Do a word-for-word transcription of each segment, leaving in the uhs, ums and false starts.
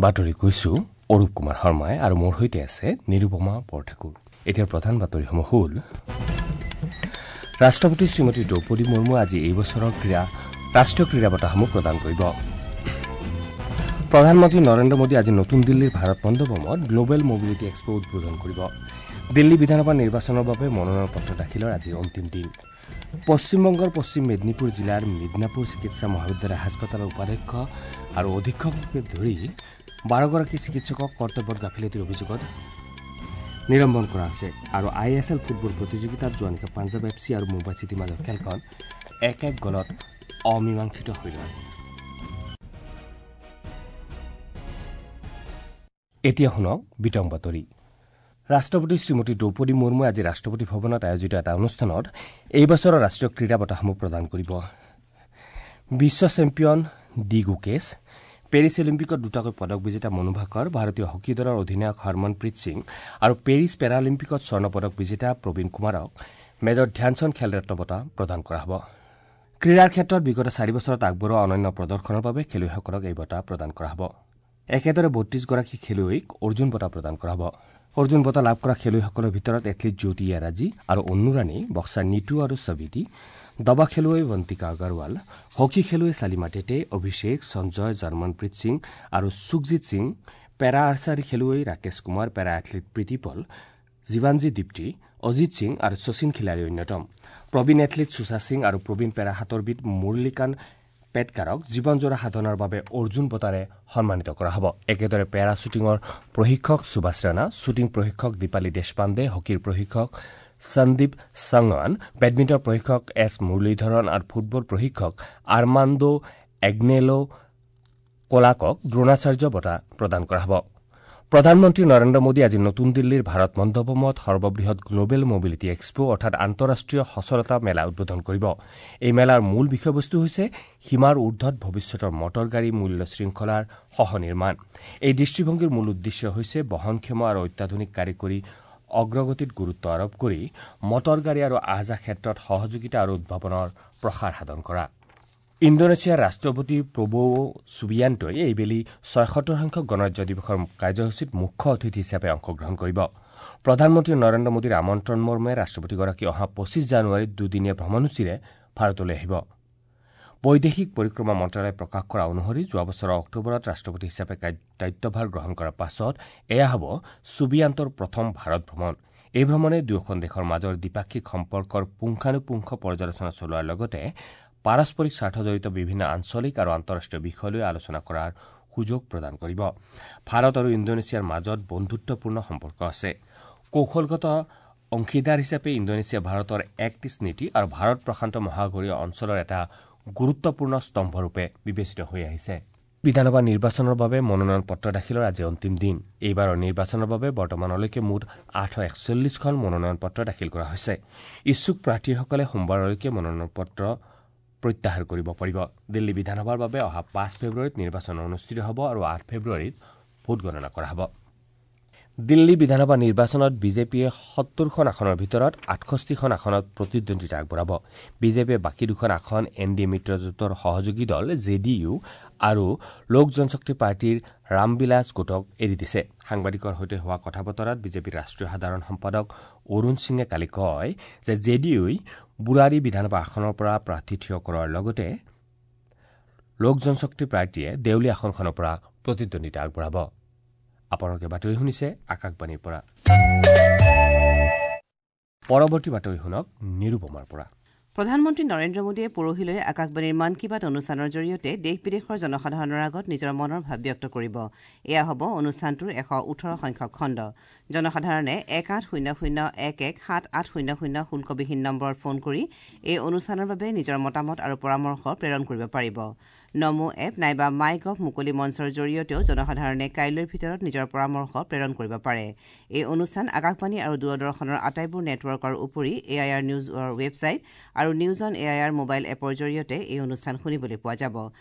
বাতৰি কৈছো অৰূপ কুমাৰ শৰ্মাই আৰু মোৰ সৈতে আছে নিৰুপমা বৰঠাকুৰ। এতিয়াৰ প্ৰধান বাতৰিসমূহ হ'ল: ৰাষ্ট্ৰপতি শ্ৰীমতী দ্ৰৌপদী মুৰ্মু আজি এই বছৰৰ ক্ৰীড়া ৰাষ্ট্ৰীয় ক্ৰীড়া বঁটাসমূহ প্ৰদান কৰিব। প্ৰধানমন্ত্ৰী নৰেন্দ্ৰ মোদী আজি নতুন দিল্লীৰ ভাৰত মণ্ডপমত গ্ল'বেল মবিলিটি এক্সপ' উদ্বোধন কৰিব। দিল্লী বিধানসভা নিৰ্বাচনৰ বাবে মনোনয়ন পত্ৰ দাখিলৰ আজি অন্তিম দিন। পশ্চিমবংগৰ পশ্চিম মেদিনীপুৰ জিলাৰ মিদনাপুৰ চিকিৎসা মহাবিদ্যালয় হাস্পতালৰ উপাধ্যক্ষ আৰু অধীক্ষককে ধৰি বাৰগৰাকী চিকিৎসকক কৰ্তব্যত গাফিলতিৰ অভিযোগত নিলম্বন কৰা হৈছে। আৰু I S L football প্ৰতিযোগিতাত যোৱা নিশা পাঞ্জাৱ এফ চি আৰু মুম্বাই চিটিৰ মাজৰ খেলখন এক এক গ'লত অমীমাংসিত হৈ ৰয়। এতিয়া শুনক বিতং বাতৰি। ৰাষ্ট্ৰপতি শ্ৰীমতী দ্ৰৌপদী মুৰ্মুৱে আজি ৰাষ্ট্ৰপতি ভৱনত আয়োজিত এটা অনুষ্ঠানত এই বছৰৰ ৰাষ্ট্ৰীয় ক্ৰীড়া বঁটাসমূহ প্ৰদান কৰিব। বিশ্ব চেম্পিয়ন ডি গুকেশ, পেৰিছ অলিম্পিকত দুটাকৈ পদক বিজেতা মনু ভাকৰ, ভাৰতীয় হকী দলৰ অধিনায়ক হৰমনপ্ৰীত সিং আৰু পেৰিছ পেৰালিম্পিকত স্বৰ্ণ পদক বিজেতা প্ৰবীণ কুমাৰক মেজৰ ধ্যানচন্দ খেলৰত্ন বঁটা প্ৰদান কৰা হ'ব। ক্ৰীড়াৰ ক্ষেত্ৰত বিগত চাৰি বছৰত আগবঢ়োৱা অনন্য প্ৰদৰ্শনৰ বাবে খেলুৱৈসকলক এই বঁটা প্ৰদান কৰা হ'ব। একেদৰে বত্ৰিশগৰাকী খেলুৱৈক অৰ্জুন বঁটা প্ৰদান কৰা হ'ব। অৰ্জুন বঁটা লাভ কৰা খেলুৱৈসকলৰ ভিতৰত এথলীট জ্যোতি য়াৰাজী আৰু অন্নু ৰাণী, বক্সাৰ নিতু আৰু সবিতি, দবা খেলুৱৈ বন্তিকা আগৰৱাল, হকী খেলুৱৈ চালিমা টেটে, অভিষেক, সঞ্জয়, জৰ্মনপ্ৰীত সিং আৰু সুখজিৎ সিং, পেৰা আৰ্চাৰী খেলুৱৈ ৰাকেশ কুমাৰ, পেৰা এথলীট প্ৰীতি পল, জীৱানজী দীপ্তি, অজিত সিং আৰু শচীন খিলাৰী অন্যতম। প্ৰবীণ এথলীট সুশা সিং আৰু প্ৰবীণ পেৰা সাঁতোৰবিদ মুৰলীকান্ত পেটকাৰক জীৱনজোৰা সাধনাৰ বাবে অৰ্জুন বঁটাৰে সন্মানিত কৰা হ'ব। একেদৰে পেৰা শ্বুটিঙৰ প্ৰশিক্ষক সুভাষ ৰাণা, শ্বুটিং প্ৰশিক্ষক দীপালী দেশপাণ্ডে, হকীৰ প্ৰশিক্ষক সন্দীপ সাংৱান, বেডমিণ্টন প্ৰশিক্ষক এছ মুৰলীধৰণ আৰু ফুটবল প্ৰশিক্ষক আৰ্মাণ্ডো এগনেলো কোলাকক দ্ৰোণাচাৰ্য বঁটা প্ৰদান কৰা হ'ব। প্ৰধানমন্ত্ৰী নৰেন্দ্ৰ মোদী আজি নতুন দিল্লীৰ ভাৰত মণ্ডপমত সৰ্ববৃহৎ গ্ল'বেল মবিলিটি এক্সপ' অৰ্থাৎ আন্তঃৰাষ্ট্ৰীয় সচলতা মেলা উদ্বোধন কৰিব। এই মেলাৰ মূল বিষয়বস্তু হৈছে সীমাৰ ঊৰ্ধত ভৱিষ্যতৰ মটৰ গাড়ী মূল্য শৃংখলাৰ সহনিৰ্মাণ। এই দৃষ্টিভংগীৰ মূল উদ্দেশ্য হৈছে বহনক্ষম আৰু অত্যাধুনিক কাৰিকৰী অগ্ৰগতিত গুৰুত্ব আৰোপ কৰি মটৰ গাড়ী আৰু আহ যাহ ক্ষেত্ৰত সহযোগিতা আৰু উদ্ভাৱনৰ প্ৰসাৰ সাধন কৰা। ইণ্ডোনেছিয়াৰ ৰাষ্ট্ৰপতি প্ৰব'ও ছুবিয়ান্তই এইবেলি ছয়সত্তৰ সংখ্যক গণৰাজ্য দিৱসৰ কাৰ্যসূচীত মুখ্য অতিথি হিচাপে অংশগ্ৰহণ কৰিব। প্ৰধানমন্ত্ৰী নৰেন্দ্ৰ মোদীৰ আমন্ত্ৰণ মৰ্মে ৰাষ্ট্ৰপতিগৰাকী অহা পঁচিছ জানুৱাৰীত দুদিনীয়া ভ্ৰমণসূচীৰে ভাৰতলৈ আহিব। বৈদেশিক পৰিক্ৰমা মন্ত্ৰালয়ে প্ৰকাশ কৰা অনুসৰি যোৱা বছৰৰ অক্টোবৰত ৰাষ্ট্ৰপতি হিচাপে দায়িত্বভাৰ গ্ৰহণ কৰাৰ পাছত এয়া হ'ব ছুবিয়ান্তৰ প্ৰথম ভাৰত ভ্ৰমণ। এই ভ্ৰমণে দুয়োখন দেশৰ মাজৰ দ্বিপাক্ষিক সম্পৰ্কৰ পুংখানুপুংখ পৰ্যালোচনা চলোৱাৰ লগতে পাৰস্পৰিক স্বাৰ্থজড়িত বিভিন্ন আঞ্চলিক আৰু আন্তঃৰাষ্ট্ৰীয় বিষয় লৈ আলোচনা কৰাৰ সুযোগ প্ৰদান কৰিব। ভাৰত আৰু ইণ্ডোনেছিয়াৰ মাজত বন্ধুত্বপূৰ্ণ সম্পৰ্ক আছে। কৌশলগত অংশীদাৰ হিচাপে ইণ্ডোনেছিয়া ভাৰতৰ এক্ট ইষ্ট নীতি আৰু ভাৰত প্ৰশান্ত মহাসাগৰীয় অঞ্চলৰ এটা গুৰুত্বপূৰ্ণ স্তম্ভৰূপে বিবেচিত হৈ আহিছে। বিধানসভা নিৰ্বাচনৰ বাবে মনোনয়ন পত্ৰ দাখিলৰ আজি অন্তিম দিন। এইবাৰৰ নিৰ্বাচনৰ বাবে বৰ্তমানলৈকে মুঠ আঠশ একচল্লিছখন মনোনয়ন পত্ৰ দাখিল কৰা হৈছে। ইচ্ছুক প্ৰাৰ্থীসকলে সোমবাৰলৈকে মনোনয়ন পত্ৰ প্ৰত্যাহাৰ কৰিব পাৰিব। দিল্লী বিধানসভাৰ বাবে অহা পাঁচ ফেব্ৰুৱাৰীত নিৰ্বাচন অনুষ্ঠিত হ'ব আৰু আঠ ফেব্ৰুৱাৰীত ভোটগণনা কৰা হ'ব। দিল্লী বিধানসভা নিৰ্বাচনত বিজেপিয়ে সত্তৰখন আসনৰ ভিতৰত আঠষষ্ঠিখন আসনত প্ৰতিদ্বন্দ্বিতা আগবঢ়াব। বিজেপিয়ে বাকী দুখন আসন এন ডি এ মিত্ৰজোঁটৰ সহযোগী দল জে ডি ইউ আৰু লোক জনশক্তি পাৰ্টীৰ ৰামবিলাস গোটক এৰি দিছে। সাংবাদিকৰ সৈতে হোৱা কথা বতৰাত বিজেপিৰ ৰাষ্ট্ৰীয় সাধাৰণ সম্পাদক অৰুণ সিঙে কালি কয় যে জে ডি ইউই বুৰাৰী বিধানসভা আসনৰ পৰা প্ৰাৰ্থী থিয় কৰোৱাৰ লগতে লোক জনশক্তি পাৰ্টীয়ে দেউলী আসনখনৰ পৰা প্ৰতিদ্বন্দ্বিতা আগবঢ়াব। আপোনালোকে বাতৰি শুনিছে আকাশবাণীৰ পৰা। পৰৱৰ্তী বাতৰি শুনক নিৰুপমাৰ পৰা। প্ৰধানমন্ত্ৰী নৰেন্দ্ৰ মোদীয়ে পৰহিলৈ আকাশবাণীৰ মন কী বাত অনুষ্ঠানৰ জৰিয়তে দেশ বিদেশৰ জনসাধাৰণৰ আগত নিজৰ মনৰ ভাৱ ব্যক্ত কৰিব। এয়া হ'ব অনুষ্ঠানটোৰ এশ ওঠৰ সংখ্যক খণ্ড। জনসাধাৰণে এক আঠ শূন্য শূন্য এক এক সাত আঠ শূন্য শূন্য শুল্কবিহীন নম্বৰত ফোন কৰি এই অনুষ্ঠানৰ বাবে নিজৰ মতামত আৰু পৰামৰ্শ প্ৰেৰণ কৰিব পাৰিব। নমো এপ নাইবা মাই গভ মুকলি মঞ্চৰ জৰিয়তেও জনসাধাৰণে কাইলৈৰ ভিতৰত নিজৰ পৰামৰ্শ প্ৰেৰণ কৰিব পাৰে। এই অনুষ্ঠান আকাশবাণী আৰু দূৰদৰ্শনৰ আটাইবোৰ নেটৱৰ্কৰ উপৰি এ I R নিউজৰ ৱেবছাইট আৰু news on A I R mobile এপৰ জৰিয়তে এই অনুষ্ঠান শুনিবলৈ পোৱা যাব।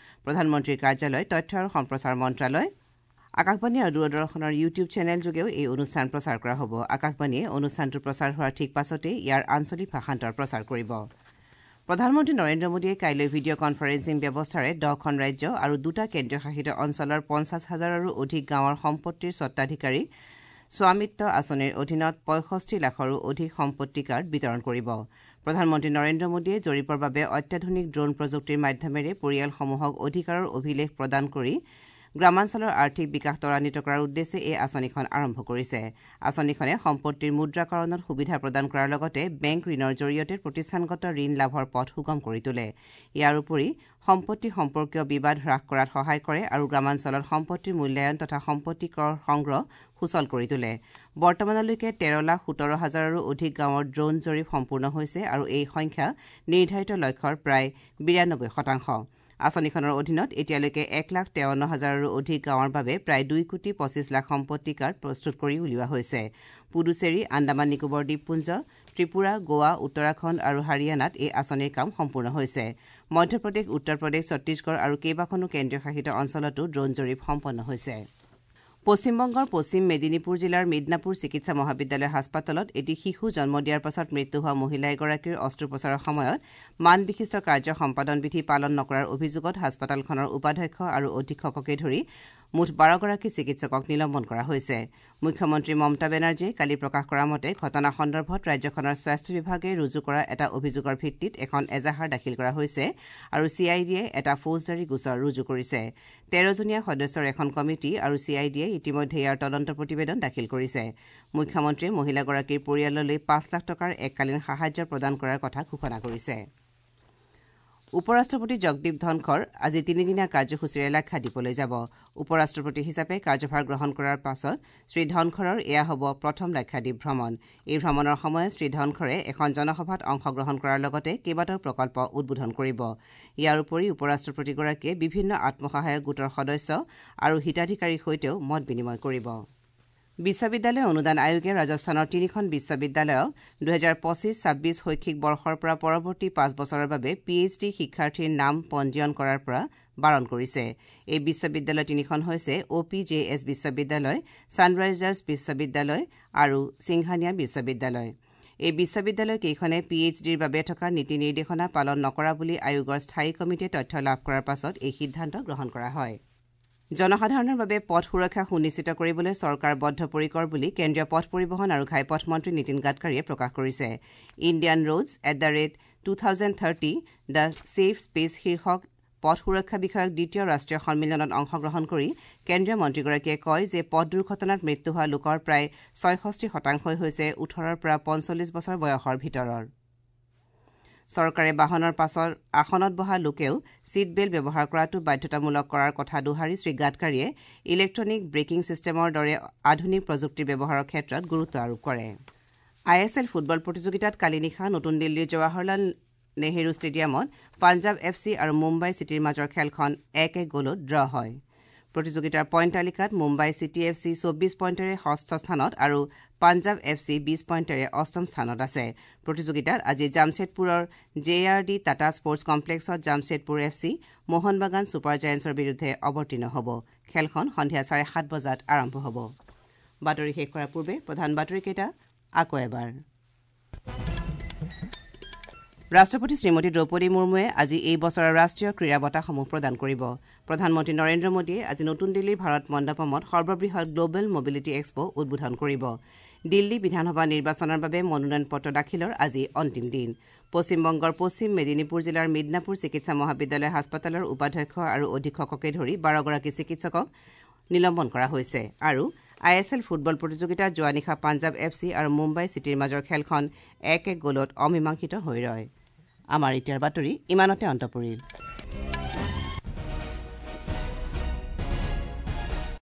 প্ৰধানমন্ত্ৰীৰ কাৰ্যালয়, তথ্য আৰু সম্প্ৰচাৰ মন্ত্ৰালয়, আকাশবাণী আৰু দূৰদৰ্শনৰ ইউটিউব চেনেল যোগেও এই অনুষ্ঠান প্ৰচাৰ কৰা হ'ব। আকাশবাণীয়ে অনুষ্ঠানটো প্ৰচাৰ হোৱাৰ ঠিক পাছতেই ইয়াৰ আঞ্চলিক ভাষান্তৰ প্ৰচাৰ কৰিব। প্ৰধানমন্ত্ৰী নৰেন্দ্ৰ মোদীয়ে কাইলৈ ভিডিঅ' কনফাৰেন্সিং ব্যৱস্থাৰে দহখন ৰাজ্য আৰু দুটা কেন্দ্ৰীয় শাসিত অঞ্চলৰ পঞ্চাছ হাজাৰৰো অধিক গাঁৱৰ সম্পত্তিৰ স্বত্বাধিকাৰীক স্বামিত্ব আঁচনিৰ অধীনত পঁয়ষষ্ঠি লাখৰো অধিক সম্পত্তি কাৰ্ড বিতৰণ কৰিব। প্ৰধানমন্ত্ৰী নৰেন্দ্ৰ মোদীয়ে জৰীপৰ বাবে অত্যাধুনিক ড্ৰোন প্ৰযুক্তিৰ মাধ্যমেৰে পৰিয়ালসমূহক অধিকাৰৰ অভিলেখ প্ৰদান কৰি গ্ৰামাঞ্চলৰ আৰ্থিক বিকাশ ত্বৰান্বিত কৰাৰ উদ্দেশ্যে এই আঁচনিখন আৰম্ভ কৰিছে। আঁচনিখনে সম্পত্তিৰ মুদ্ৰাকৰণত সুবিধা প্ৰদান কৰাৰ লগতে বেংক ঋণৰ জৰিয়তে প্ৰতিষ্ঠানগত ঋণ লাভৰ পথ সুগম কৰি তোলে। ইয়াৰ উপৰি সম্পত্তি সম্পৰ্কীয় বিবাদ হ্ৰাস কৰাত সহায় কৰে আৰু গ্ৰামাঞ্চলত সম্পত্তিৰ মূল্যায়ন তথা সম্পত্তি কৰ সংগ্ৰহ সুচল কৰি তোলে। বৰ্তমানলৈকে তেৰ লাখ সোতৰ হাজাৰৰো অধিক গাঁৱৰ ড্ৰোন জৰীপ সম্পূৰ্ণ হৈছে আৰু এই সংখ্যা নিৰ্ধাৰিত লক্ষ্যৰ প্ৰায় বিৰানব্বৈ শতাংশ। আঁচনিখনৰ অধীনত এতিয়ালৈকে এক লাখ তেৱন্ন হাজাৰৰো অধিক গাঁৱৰ বাবে প্ৰায় দুই কোটি পঁচিছ লাখ সম্পত্তি কাৰ্ড প্ৰস্তুত কৰি উলিওৱা হৈছে। পুডুচেৰী, আন্দামান নিকোবৰ দ্বীপপুঞ্জ, ত্ৰিপুৰা, গোৱা, উত্তৰাখণ্ড আৰু হাৰিয়ানাত এই আঁচনিৰ কাম সম্পূৰ্ণ হৈছে। মধ্যপ্ৰদেশ, উত্তৰ প্ৰদেশ, ছত্তীশগড় আৰু কেইবাখনো কেন্দ্ৰীয় শাসিত অঞ্চলতো ড্ৰোন জৰীপ সম্পন্ন হৈছে। পশ্চিমবংগৰ পশ্চিম মেদিনীপুৰ জিলাৰ মিদনাপুৰ চিকিৎসা মহাবিদ্যালয় হাস্পতালত এটি শিশু জন্ম দিয়াৰ পাছত মৃত্যু হোৱা মহিলা এগৰাকীৰ অস্ত্ৰোপচাৰৰ সময়ত মানবিশিষ্ট কাৰ্য সম্পাদন বিধি পালন নকৰাৰ অভিযোগত হাস্পতালখনৰ উপাধ্যক্ষ আৰু অধীক্ষককে ধৰি মুঠ বাৰগৰাকী চিকিৎসকক নিলম্বন কৰা হৈছে। মুখ্যমন্ত্ৰী মমতা বেনাৰ্জীয়ে কালি প্ৰকাশ কৰা মতে ঘটনা সন্দৰ্ভত ৰাজ্যখনৰ স্বাস্থ্য বিভাগে ৰুজু কৰা এটা অভিযোগৰ ভিত্তিত এখন এজাহাৰ দাখিল কৰা হৈছে আৰু চি I ডিয়ে এটা ফৌজদাৰী গোচৰ ৰুজু কৰিছে। তেৰজনীয়া সদস্যৰ এখন কমিটি আৰু চি I ডিয়ে ইতিমধ্যে ইয়াৰ তদন্ত প্ৰতিবেদন দাখিল কৰিছে। মুখ্যমন্ত্ৰীয়ে মহিলাগৰাকীৰ পৰিয়াললৈ পাঁচ লাখ টকাৰ এককালীন সাহায্য প্ৰদান কৰাৰ কথা ঘোষণা কৰিছে। উপ ৰাষ্ট্ৰপতি জগদীপ ধনখৰ আজি তিনিদিনীয়া কাৰ্যসূচীৰে লাক্ষাদ্বীপলৈ যাব। উপ ৰাষ্ট্ৰপতি হিচাপে কাৰ্যভাৰ গ্ৰহণ কৰাৰ পাছত শ্ৰীধনখৰৰ এয়া হ'ব প্ৰথম লাক্ষাদ্বীপ ভ্ৰমণ। এই ভ্ৰমণৰ সময়ত শ্ৰীধনখৰে এখন জনসভাত অংশগ্ৰহণ কৰাৰ লগতে কেইবাটাও প্ৰকল্প উদ্বোধন কৰিব। ইয়াৰ উপৰি উপ ৰাষ্ট্ৰপতিগৰাকীয়ে বিভিন্ন আত্মসহায়ক গোটৰ সদস্য আৰু হিতাধিকাৰীৰ সৈতেও মত বিনিময় কৰিব। বিশ্ববিদ্যালয় অনুদান আয়োগে ৰাজস্থানৰ তিনিখন বিশ্ববিদ্যালয়ক দুহেজাৰ পঁচিছ ছাব্বিছ শৈক্ষিক বৰ্ষৰ পৰা পৰৱৰ্তী পাঁচ বছৰৰ বাবে পি এইচ ডি শিক্ষাৰ্থীৰ নাম পঞ্জীয়ন কৰাৰ পৰা বাৰণ কৰিছে। এই বিশ্ববিদ্যালয় তিনিখন হৈছে অ' পি জে এছ বিশ্ববিদ্যালয়, ছানৰাইজাৰ্ছ বিশ্ববিদ্যালয় আৰু সিংহানিয়া বিশ্ববিদ্যালয়। এই বিশ্ববিদ্যালয় কেইখনে পি এইচ ডিৰ বাবে থকা নীতি নিৰ্দেশনা পালন নকৰা বুলি আয়োগৰ স্থায়ী কমিটিয়ে তথ্য লাভ কৰাৰ পাছত এই সিদ্ধান্ত গ্ৰহণ কৰা হয়। জনসাধাৰণৰ বাবে পথ সুৰক্ষা সুনিশ্চিত কৰিবলৈ চৰকাৰ বদ্ধপৰিকৰ বুলি কেন্দ্ৰীয় পথ পৰিবহণ আৰু ঘাইপথ মন্ত্ৰী নীতিন গাডকাৰীয়ে প্ৰকাশ কৰিছে। Indian roads at the rate two thousand thirty the safe space শীৰ্ষক পথ সুৰক্ষা বিষয়ক দ্বিতীয় ৰাষ্ট্ৰীয় সন্মিলনত অংশগ্ৰহণ কৰি কেন্দ্ৰীয় মন্ত্ৰীগৰাকীয়ে কয় যে পথ দুৰ্ঘটনাত মৃত্যু হোৱা লোকৰ প্ৰায় ছয়ষষ্ঠি শতাংশই হৈছে ওঠৰৰ পৰা পঞ্চল্লিছ বছৰ বয়সৰ ভিতৰৰ। চৰকাৰে বাহনৰ পাছৰ আসনত বহা লোকেও ছিট বেল্ট ব্যৱহাৰ কৰাটো বাধ্যতামূলক কৰাৰ কথা দোহাৰি শ্ৰীগাডকাৰীয়ে ইলেক্ট্ৰনিক ব্ৰেকিং ছিষ্টেমৰ দৰে আধুনিক প্ৰযুক্তিৰ ব্যৱহাৰৰ ক্ষেত্ৰত গুৰুত্ব আৰোপ কৰে। I S L football প্ৰতিযোগিতাত কালি নিশা নতুন দিল্লীৰ জৱাহৰলাল নেহেৰু ষ্টেডিয়ামত পাঞ্জাৱ এফ চি আৰু মুম্বাই চিটিৰ মাজৰ খেলখন এক এক গ'লত ড্ৰ হয়। প্ৰতিযোগিতাৰ পইণ্ট তালিকাত মুম্বাই চিটি এফ চি চৌব্বিছ পইণ্টেৰে ষষ্ঠ স্থানত আৰু পাঞ্জাৱ এফ চি বিছ পইণ্টেৰে অষ্টম স্থানত আছে। প্ৰতিযোগিতাত আজি জামছেদপুৰৰ J R D Tata sports কমপ্লেক্সত Jamshedpur F C Mohun Bagan super জায়েণ্টছৰ বিৰুদ্ধে অৱতীৰ্ণ হ'ব। খেলখন সন্ধিয়া চাৰে সাত বজাত আৰম্ভ হ'ব। বাতৰি শেষ কৰাৰ পূৰ্বে প্ৰধান বাতৰিকেইটা আকৌ এবাৰ। ৰাষ্ট্ৰপতি শ্ৰীমতী দ্ৰৌপদী মুৰ্মুৱে আজি এই বছৰৰ ৰাষ্ট্ৰীয় ক্ৰীড়া বঁটাসমূহ প্ৰদান কৰিব। প্ৰধানমন্ত্ৰী নৰেন্দ্ৰ মোদীয়ে আজি নতুন দিল্লীৰ ভাৰত মণ্ডপমত সৰ্ববৃহৎ গ্লবেল মবিলিটি এক্সপ উদ্বোধন কৰিব। দিল্লী বিধানসভা নিৰ্বাচনৰ বাবে মনোনয়ন পত্ৰ দাখিলৰ আজি অন্তিম দিন। পশ্চিমবংগৰ পশ্চিম মেদিনীপুৰ জিলাৰ মিদনাপুৰ চিকিৎসা মহাবিদ্যালয় হাস্পতালৰ উপাধ্যক্ষ আৰু অধীক্ষককে ধৰি বাৰগৰাকী চিকিৎসকক নিলম্বন কৰা হৈছে। আৰু I S L football প্ৰতিযোগিতাত যোৱা নিশা পাঞ্জাৱ এফ চি আৰু মুম্বাই চিটিৰ মাজৰ খেলখন এক এক গ'লত অমীমাংসিত হৈ ৰয়। আমাৰ এতিয়াৰ বাতৰি ইমানতে অন্ত পৰিল।